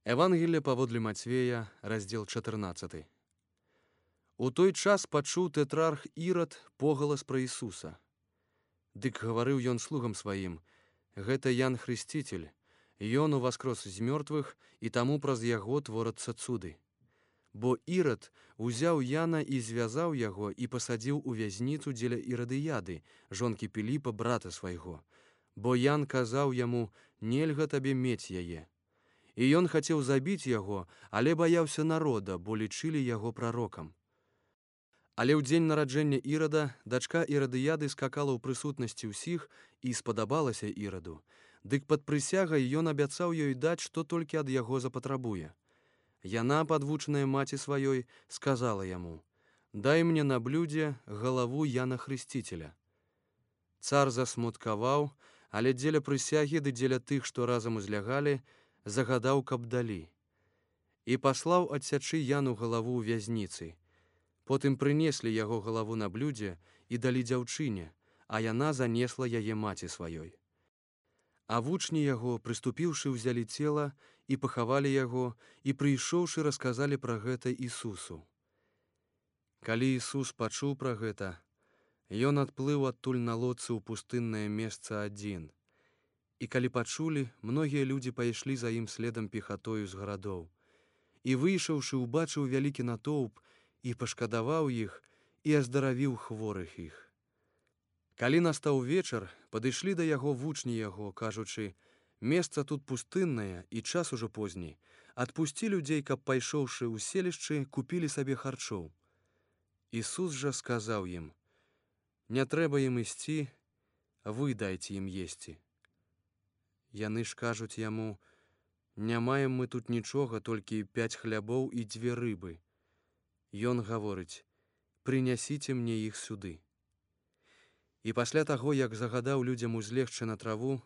Евангелие паводле Мацвея, раздзел 14. У той час пачуў тэтрарх Ірад погалас пра Ісуса. Дык гаварыў ён слугам сваім: гэта Ян Хрысціцель, ён уваскрос з мёртвых, і таму праз яго творацца цуды. Бо Ірад узяў Яна і звязаў яго і пасадзіў у вязніцу дзеля Ірадыяды, жонкі Піліпа, брата свайго. Бо Ян казаў яму: нельга табе мець яе. І ён хацеў забіць яго, але баяўся народа, бо лічылі яго прарокам. Але ў дзень нараджэння Ірада дачка Ірадыяды скакала ў прысутнасці ўсіх і спадабалася Іраду. Дык пад прысягай ён абяцаў ёй даць, што толькі ад яго запатрабуе. Яна, падвучаная маці сваёй, сказала яму: дай мне на блюдзе галаву Яна Хрысціцеля. Цар засмуткаваў, але дзеля прысягі ды дзеля тых, што разам узлягалі, загадаў, каб далі. І паслаў адсячы Яну галаву ў вязніцы. Потым прынеслі яго галаву на блюдзе і далі дзяўчыне, а яна занесла яе маці сваёй. А вучні яго, прыступіўшы, узялі цела і пахавалі яго, і прыйшоўшы, расказалі пра гэта Ісусу. Калі Ісус пачуў пра гэта, ён адплыў адтуль на лодцы ў пустыннае месца адзін. І калі пачулі, многія людзі пайшлі за ім следам пехатою з гарадоў. І выйшаўшы, убачыў вялікі натоўп, і пашкадаваў іх, і аздаравіў хворых іх. Калі настаў вечар, падышлі да яго вучні яго, кажучы: месца тут пустыннае, і час ужо позні. Адпусці людзей, каб, пайшоўшы ў селішчы, купілі сабе харчоў. Ісус жа сказаў ім: не трэба ім ісці, вы дайце ім есці. Яны ж кажуць яму: не маем мы тут нічога, толькі 5 хлябоў і 2 рыбы. Ён гаворыць: прынясіце мне іх сюды. І пасля таго, як загадаў людзям узлегчы на траву,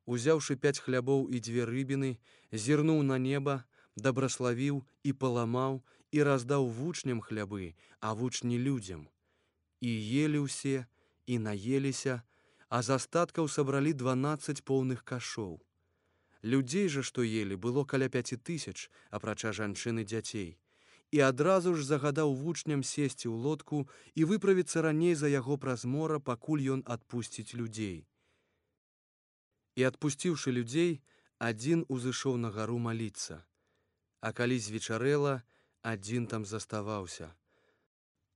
узяўшы 5 хлябоў і 2 рыбіны, зірнуў на неба, дабраславіў і паламаў, і раздаў вучням хлябы, а вучні людзям. І елі ўсе, і наеліся, а з астаткаў сабралі 12 поўных кашоў. Людзей жа, што елі, было каля 5000, апрача жанчын і дзяцей. І адразу ж загадаў вучням сесці ў лодку і выправіцца раней за яго праз мора, пакуль ён адпусціць людзей. І адпусціўшы людзей, адзін узышоў на гару маліцца. А калі звечарэла, адзін там заставаўся.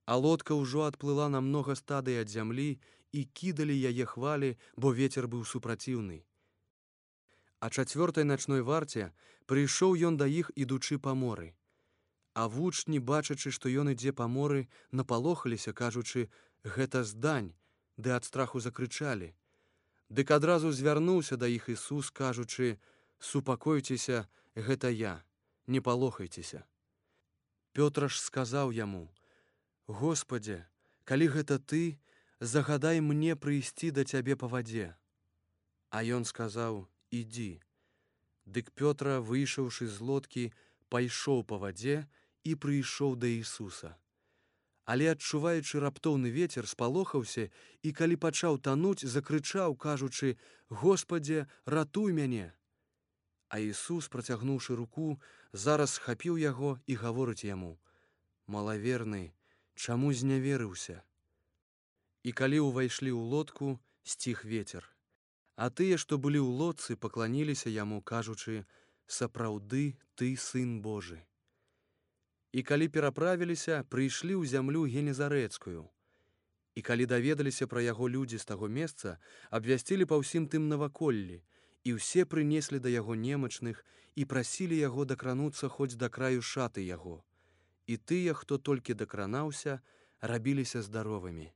А лодка ўжо адплыла на многа стадый ад зямлі, і кідалі яе хвалі, бо вецер быў супраціўны. А 4-й начной варце прыйшоў ён да іх, ідучы па моры. А вучні, бачачы, што ён ідзе па моры, напалохаліся, кажучы: гэта здань, ды ад страху закрычалі. Дык адразу звярнуўся да іх Ісус, кажучы: супакойцеся, гэта я, не палохайцеся. Пётр ж сказаў яму: Господзе, калі гэта ты, загадай мне прыйсці да цябе па вадзе. А ён сказаў: ідзі. Дык Пётра, выйшаўшы з лодкі, пайшоў па вадзе і прыйшоў да Ісуса. Але, адчуваючы раптоўны вецер, спалохаўся, і калі пачаў тануць, закрычаў, кажучы: Господзе, ратуй мяне. А Ісус, працягнуўшы руку, зараз схапіў яго і гаворыць яму: малаверны, чаму зняверыўся? І калі ўвайшлі ў лодку, сціх вецер. А тыя, што былі ў лодцы, пакланіліся яму, кажучы: сапраўды ты сын Божы. І калі пераправіліся, прыйшлі ў зямлю Генезарэцкую. І калі даведаліся пра яго людзі з таго месца, абвясцілі па ўсім тым наваколлі, і ўсе прынеслі да яго немачных і прасілі яго дакрануцца хоць да краю шаты яго. І тыя, хто толькі дакранаўся, рабіліся здаровымі.